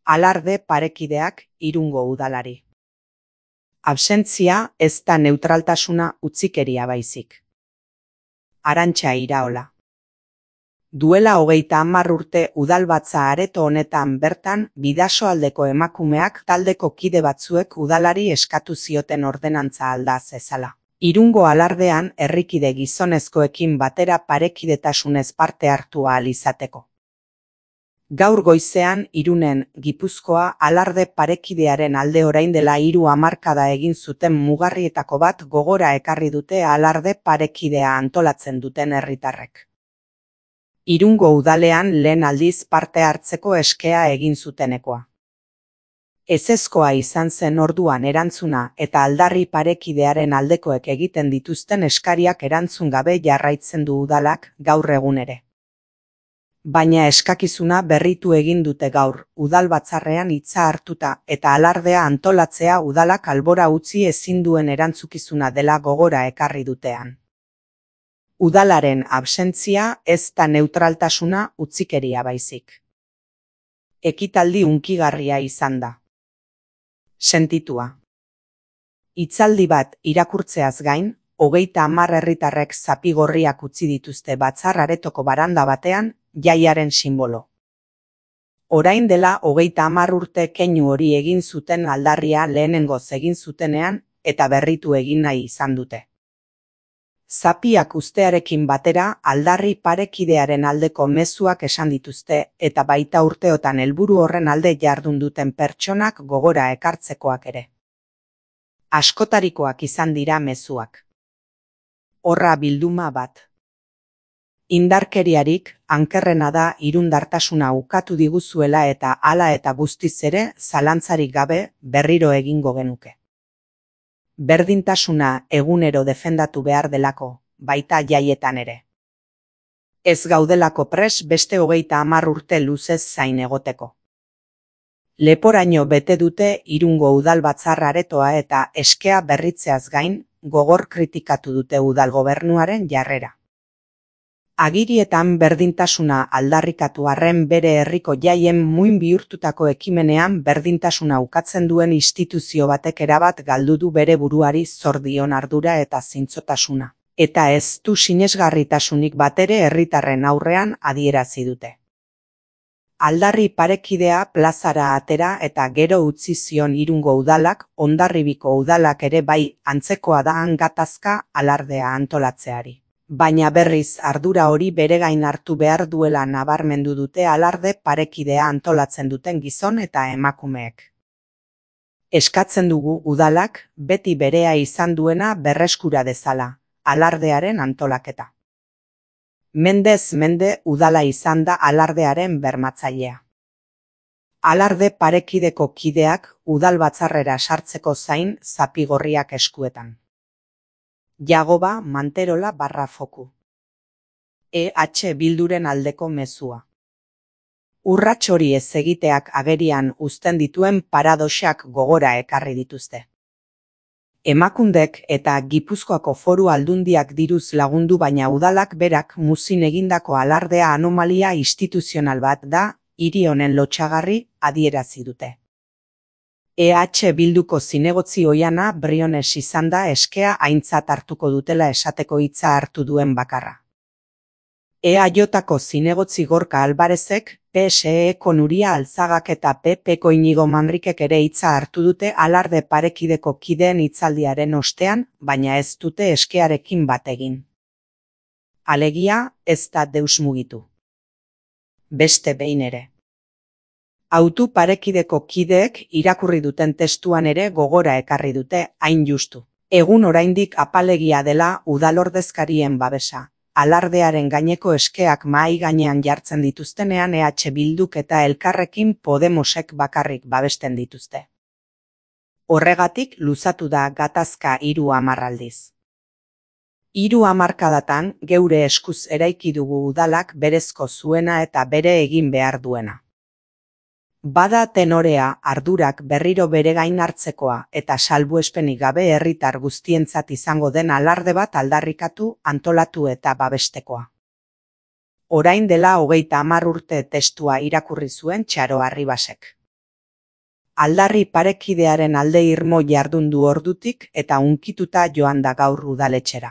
Alarde parekideak Irungo udalari. Absentzia ez da neutraltasuna utzikeria baizik. Arantxa Iraola. Duela 30 urte udalbatza areto honetan bertan Bidasoaldeko emakumeak taldeko kide batzuek udalari eskatu zioten ordenantza alda zezala. Irungo alardean herrikide gizonezkoekin batera parekidetasunez parte hartu ahal izateko. Gaur goizean Irunen, Gipuzkoa alarde parekidearen alde orain dela 3 hamarkada egin zuten mugarrietako bat gogora ekarri dute alarde parekidea antolatzen duten herritarrek. Irungo udalean lehen aldiz parte hartzeko eskea egin zutenekoa. Ezezkoa izan zen orduan erantzuna eta aldarri parekidearen aldekoek egiten dituzten eskariak erantzun gabe jarraitzen du udalak gaur egun ere. Baina eskakizuna berritu egin dute gaur, udal batzarrean hitza hartuta eta alardea antolatzea udalak albora utzi ezin duen erantzukizuna dela gogora ekarri dutean. Udalaren absentzia ez da neutraltasuna utzikeria baizik. Ekitaldi hunkigarria izan da. Sentitua. Hitzaldi bat irakurtzeaz gain, 30 herritarrek zapi gorriak utzi dituzte batzar aretoko baranda batean, jaiaren sinbolo. Orain dela 30 urte keinu hori egin zuten aldarria lehenengoz egin zutenean eta berritu egin nahi izan dute. Zapiak ustearekin batera aldarri parekidearen aldeko mezuak esan dituzte eta baita urteotan helburu horren alde jardun duten pertsonak gogora ekartzekoak ere. Askotarikoak izan dira mezuak. Horra bilduma bat. Indarkeriarik ankerrena da irundartasuna ukatu diguzuela eta hala eta guztiz ere zalantzarik gabe berriro egingo genuke. Berdintasuna egunero defendatu behar delako, baita jaietan ere. Ez gaudelako pres beste 30 urte luzez zain egoteko. Leporaino bete dute Irungo udal batzar aretoa eta eskea berritzeaz gain gogor kritikatu dute udal gobernuaren jarrera. Agirietan berdintasuna aldarrikatu arren bere herriko jaien muin bihurtutako ekimenean berdintasuna ukatzen duen instituzio batek erabat galdu du bere buruari zor dion ardura eta zintzotasuna. Eta ez du sinesgarritasunik batere herritarren aurrean adierazi dute. Aldarri parekidea plazara atera eta gero utzi zion Irungo udalak, Hondarribiko udalak ere bai antzekoa da gatazka alardea antolatzeari. Baina berriz ardura hori bere gain hartu behar duela nabarmendu dute alarde parekidea antolatzen duten gizon eta emakumeek. Eskatzen dugu udalak beti berea izan duena berreskura dezala, alardearen antolaketa. Mendez mende udala izan da alardearen bermatzailea. Alarde parekideko kideak udal batzarrera sartzeko zain zapigorriak eskuetan. Jagoba Manterola /foku. EH Bilduren aldeko mezua. Urrats hori ez egiteak agerian uzten dituen paradoxak gogora ekarri dituzte. Emakundek eta Gipuzkoako Foru Aldundiak diruz lagundu baina udalak berak muzin egindako alardea anomalia instituzional bat da, hiri honen lotsagarri adierazi dute. EH Bilduko zinegotzi oihana Briones izan da eskea aintzat hartuko dutela esateko hitza hartu duen bakarra. EAJko zinegotzi Gorka Alvarezek, PSEko Nuria Alzagak eta PPko Inigo Manrikek ere hitza hartu dute alarde parekideko kideen hitzaldiaren ostean, baina ez dute eskearekin bat egin. Alegia, ez da deus mugitu. Beste behin ere. Autu parekideko kideek irakurri duten testuan ere gogora ekarri dute, hain justu. Egun oraindik apalegia dela udalordezkarien babesa. Alardearen gaineko eskeak mahai gainean jartzen dituztenean EH Bilduk eta Elkarrekin Podemosek bakarrik babesten dituzte. Horregatik luzatu da gatazka 30 aldiz. 3 hamarkadatan geure eskuz eraiki dugu udalak berezko zuena eta bere egin behar duena. Bada tenorea ardurak berriro bere gain hartzekoa eta salbuespenik gabe herritar guztientzat izango den alarde bat aldarrikatu, antolatu eta babestekoa. Orain dela 30 urte testua irakurri zuen Txaro Arribasek. Aldarri parekidearen alde irmo jardun du ordutik eta hunkituta joan da gaur udaletxera.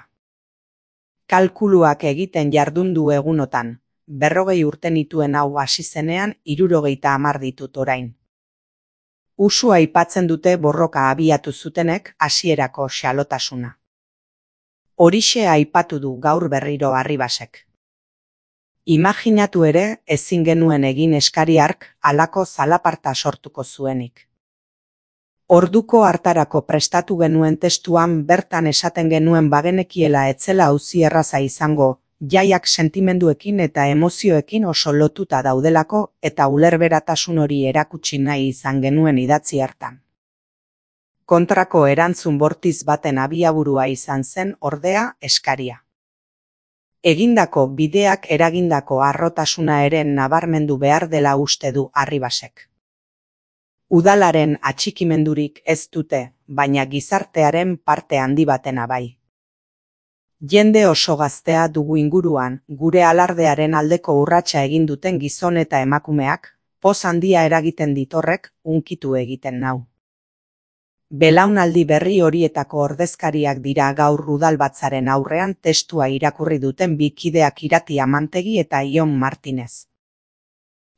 Kalkuluak egiten jardun du egunotan, 40 urte nituen hau hasi zenean 70 ditut orain. Usua aipatzen dute borroka abiatu zutenek hasierako xalotasuna. Horixe aipatu du gaur berriro Arribasek. Imaginatu ere ezin genuen egin eskari hark halako zalaparta sortuko zuenik. Orduko hartarako prestatu genuen testuan bertan esaten genuen bagenekiela etzela auzi erraza izango, jaiak sentimenduekin eta emozioekin oso lotuta daudelako eta ulerberatasun hori erakutsi nahi izan genuen idatzi hartan. Kontrako erantzun bortiz baten abiaburua izan zen ordea eskaria. Egindako bideak eragindako harrotasuna ere nabarmendu behar dela uste du Arribasek. Udalaren atxikimendurik ez dute, baina gizartearen parte handi batena bai. Jende oso gaztea dugu inguruan, gure alardearen aldeko urratsa egin duten gizon eta emakumeak, poz handia eragiten ditorrek, hunkitu egiten nau. Belaunaldi berri horietako ordezkariak dira gaur udalbatzaren aurrean testua irakurri duten bi kideak Irati Amantegi eta Ion Martinez.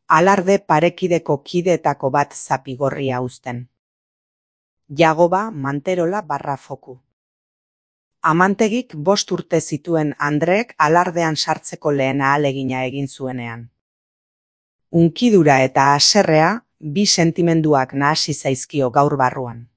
Alarde parekideko kideetako bat zapigorria uzten. Jagoba Manterola /Foku. Amantegik 5 urte zituen Andreek alardean sartzeko lehen ahalegina egin zuenean. Hunkidura eta haserrea, bi sentimenduak nahasi zaizkio gaur barruan.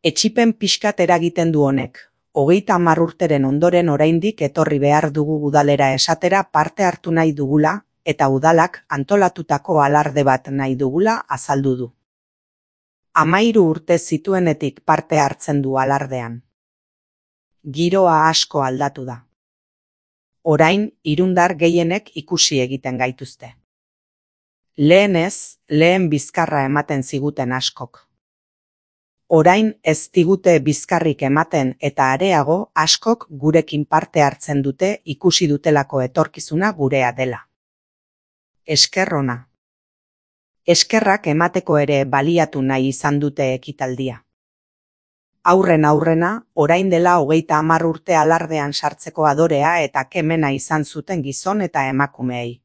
Etsipen pixkat eragiten du honek, 30 urteren ondoren oraindik etorri behar dugu udalera esatera parte hartu nahi dugula, eta udalak antolatutako alarde bat nahi dugula azaldu du. 13 urte zituenetik parte hartzen du alardean. Giroa asko aldatu da. Orain, irundar gehienek ikusi egiten gaituzte. Lehen bizkarra ematen ziguten askok. Orain ez digute bizkarrik ematen eta areago askok gurekin parte hartzen dute ikusi dutelako etorkizuna gurea dela. Esker ona. Eskerrak emateko ere baliatu nahi izan dute ekitaldia. Aurrena, orain dela 30 urte alardean sartzeko adorea eta kemena izan zuten gizon eta emakumeei.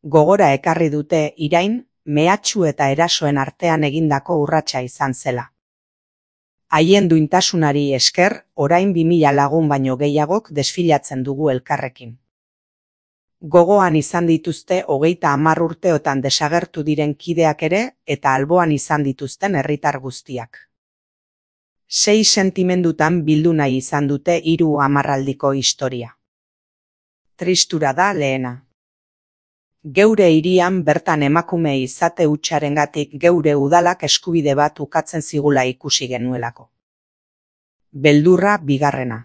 Gogora ekarri dute irain, mehatxu eta erasoen artean egindako urratsa izan zela. Haien duintasunari esker, orain 2000 lagun baino gehiagok desfilatzen dugu elkarrekin. Gogoan izan dituzte 30 urteotan desagertu diren kideak ere eta alboan izan dituzten herritar guztiak. 6 sentimendutan bildu nahi izan dute 3 hamarraldiko historia. Tristura da lehena. Geure hirian bertan emakume izate hutsarengatik geure udalak eskubide bat ukatzen zigula ikusi genuelako. Beldurra bigarrena.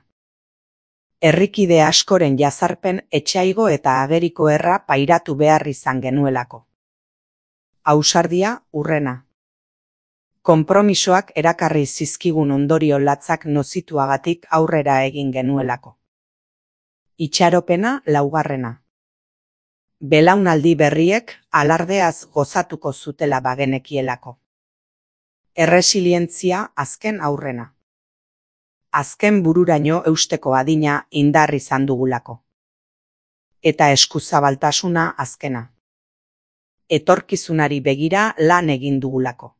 Herrikide askoren jazarpen etsaigo eta ageriko erra pairatu behar izan genuelako. Ausardia urrena. Konpromisoak erakarri zizkigun ondorio latzak nozituagatik aurrera egin genuelako. Itxaropena laugarrena. Belaunaldi berriek alardeaz gozatuko zutela bagenekielako. Erresilientzia azken aurrena. Azken bururaino eusteko adina indar izan dugulako. Eta eskuzabaltasuna azkena. Etorkizunari begira lan egin dugulako.